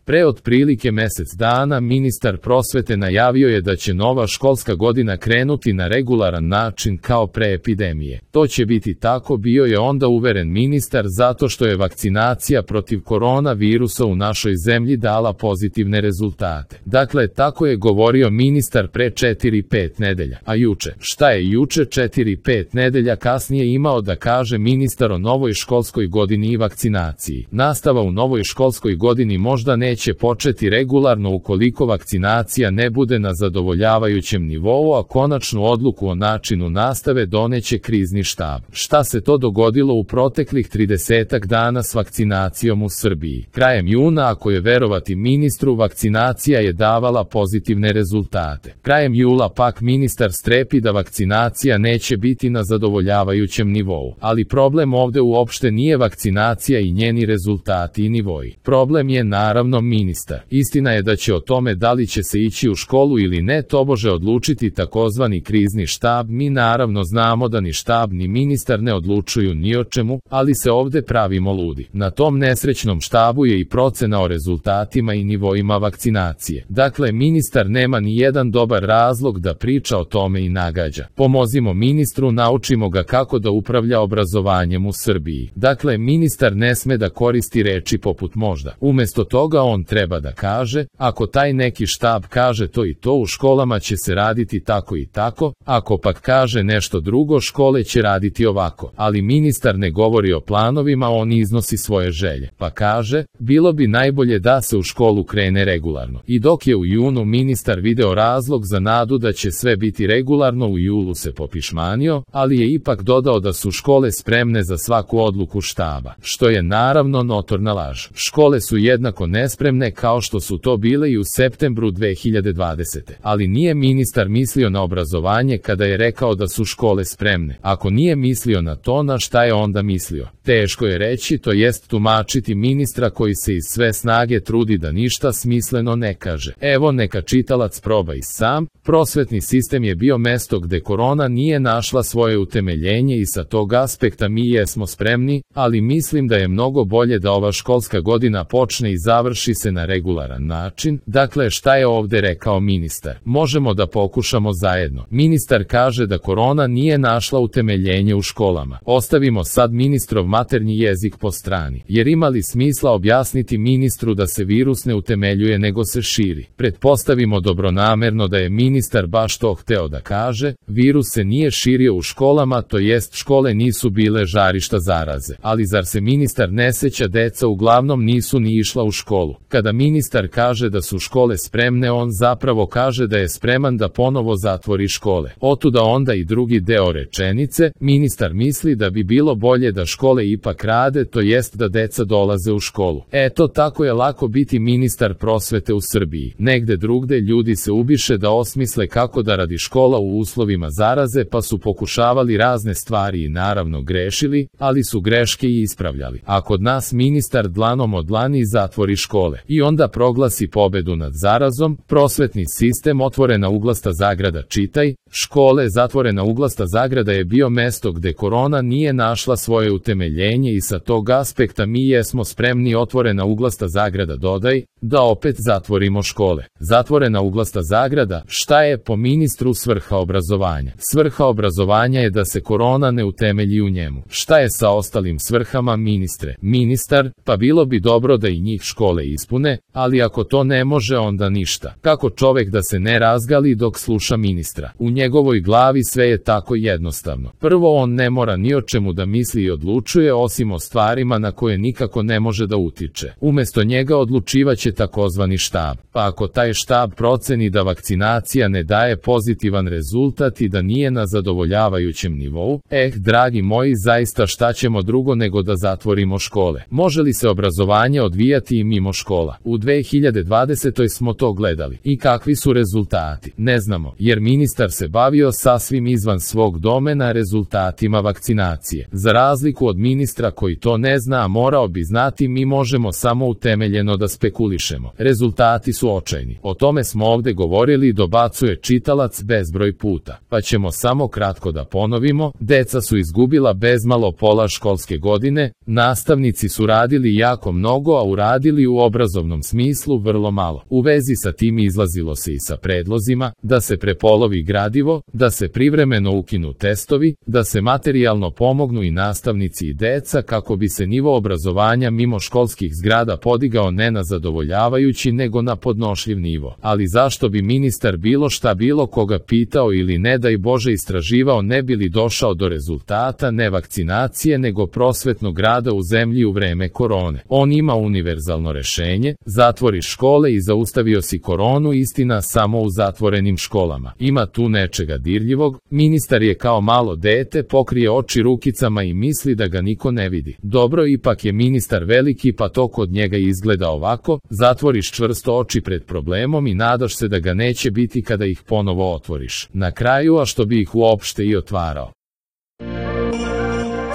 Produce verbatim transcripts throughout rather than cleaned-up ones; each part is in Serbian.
Pre otprilike mesec dana ministar prosvete najavio je da će nova školska godina krenuti na regularan način kao pre epidemije. To će biti tako, bio je onda uveren ministar, zato što je vakcinacija protiv koronavirusa u našoj zemlji dala pozitivne rezultate. Dakle, tako je govorio ministar pre četiri pet nedelja. A juče, šta je juče četiri pet nedelja kasnije imao da kaže ministar o novoj školskoj godini i vakcinaciji? Nastava u novoj školskoj godini možda neće početi regularno ukoliko vakcinacija ne bude na zadovoljavajućem nivou, a konačnu odluku o načinu nastave doneće krizni štab. Šta se to dogodilo u proteklih tridesetak dana s vakcinacijom u Srbiji? Krajem juna, ako je verovati ministru, vakcinacija je davala pozitivne rezultate. Krajem jula pak ministar strepi da vakcinacija neće biti na zadovoljavajućem nivou. Ali problem ovde uopšte nije vakcinacija i njeni rezultati i nivoji. Problem je naravno ministar. Istina je da će o tome da li će se ići u školu ili ne tobože odlučiti takozvani krizni štab. Mi naravno znamo da ni štab ni ministar ne odlučuju ni o čemu, ali se ovde pravimo ludi. Na tom nesrećnom štabu je i procena o rezultatima i nivoima vakcinacije. Dakle, ministar nema ni jedan dobar razlog da priča o tome i nagađa. Pomozimo ministru, naučimo ga kako da upravlja obrazovanjem u Srbiji. Dakle, ministar ne sme da koristi reči poput možda. Umesto toga on treba da kaže, ako taj neki štab kaže to i to, u školama će se raditi tako i tako, ako pak kaže nešto drugo, škole će raditi ovako. Ali ministar ne govori o planovima, on iznosi svoje želje. Pa kaže, bilo bi najbolje da se u školu krene regularno. I dok je u junu ministar video razlog za nadu da će sve biti regularno, u julu se popišmanio, ali je ipak dodao da su škole spremne za svaku odluku štaba, što je naravno notorna laž. Škole su jednako nespremne kao što su to bile i u septembru dve hiljade dvadesete. Ali nije ministar mislio na obrazovanje kada je rekao da su škole spremne. Ako nije mislio na to, na šta je onda mislio? Teško je reći, to jest tumačiti ministra koji se iz sve snage trudi da ništa smisleno ne kaže. Evo, neka čitalac proba i sam. Prosvetni sistem je bio mesto gde korona nije našla svoje utemeljenje i sa tog aspekta mi jesmo spremni, ali mislim da je mnogo bolje da ova školska godina počne i završi se na regularan način. Dakle, šta je ovde rekao ministar? Možemo da pokušamo zajedno. Ministar kaže da korona nije našla utemeljenje u školama. Ostavimo sad ministrov maternji jezik po strani, jer ima li smisla objasniti ministru da se virus ne utemeljuje nego se širi? Pretpostavimo dobronamerno da je ministar baš to hteo da kaže, virus se nije širio u školama, to jest škole nisu bile žarišta zaraze. Ali zar se ministar ne seća, deca uglavnom nisu ni išla u školu. Kada ministar kaže da su škole spremne, on zapravo kaže da je spreman da ponovo zatvori škole. Otuda onda i drugi deo rečenice, ministar misli da bi bilo bolje da škole ipak rade, to jest da deca dolaze u školu. Eto, tako je lako biti ministar prosvete u Srbiji. Negde drugde ljudi se ubiše da osmisle kako da radi škola u uslovima zaraze, pa su pokušavali razne stvari i naravno grešili, ali su greške i ispravljali. A kod nas ministar dlanom od dlani zatvori škole i onda proglasi pobedu nad zarazom. Prosvetni sistem, otvorena uglasta zagrada, čitaj, škole, zatvorena uglasta zagrada, je bio mesto gde korona nije našla svoje utemeljenje i sa tog aspekta mi jesmo spremni, otvorena uglasta zagrada, dodaj, da opet zatvorimo škole. Zatvorena uglasta zagrada, šta je po ministru svrha obrazovanja? Svrha obrazovanja je da se korona ne utemelji u njemu. Šta je sa ostalim svrhama, ministre? Ministar, pa bilo bi dobro da i njih škole ispune, ali ako to ne može, onda ništa. Kako čovek da se ne razgali dok sluša ministra? U njegovoj glavi sve je tako jednostavno. Prvo, on ne mora ni o čemu da misli i odlučuje, osim o stvarima na koje nikako ne može da utiče. Umesto njega odlučivaće takozvani štab. Pa ako taj štab proceni da vakcinacija ne daje pozitivan rezultat i da nije na zadovoljavajućem nivou, eh, dragi moji, zaista šta ćemo drugo nego da zatvorimo škole? Može li se obrazovanje odvijati i mimo škola? U dve hiljade dvadesetoj smo to gledali. I kakvi su rezultati? Ne znamo, jer ministar se bavio sasvim izvan svog domena rezultatima vakcinacije. Za razliku od ministra koji to ne zna, a morao bi znati, mi možemo samo utemeljeno da spekulišemo. Rezultati su očajni. O tome smo ovde govorili, dobacuje čitalac bezbroj puta. Pa ćemo samo kratko da ponovimo, deca su izgubila bezmalo pola školske godine, nastavnici su radili jako mnogo, a uradili u oba obrazovnom smislu vrlo malo. U vezi sa tim izlazilo se i sa predlozima da se prepolovi gradivo, da se privremeno ukinu testovi, da se materijalno pomognu i nastavnici i deca kako bi se nivo obrazovanja mimo školskih zgrada podigao ne na zadovoljavajući nego na podnošljiv nivo. Ali zašto bi ministar bilo šta bilo koga pitao ili ne daj Bože istraživao ne bi li došao do rezultata ne vakcinacije nego prosvetnog rada u zemlji u vreme korone. On ima univerzalno rešenje, zatvori škole i zaustavio si koronu, istina samo u zatvorenim školama. Ima tu nečega dirljivog, ministar je kao malo dete, pokrije oči rukicama i misli da ga niko ne vidi. Dobro, ipak je ministar veliki pa to kod njega izgleda ovako, zatvoriš čvrsto oči pred problemom i nadaš se da ga neće biti kada ih ponovo otvoriš. Na kraju, a što bi ih uopšte i otvarao.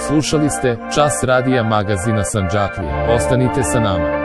Slušali ste Čas radija magazina Sandžaklije. Ostanite sa nama.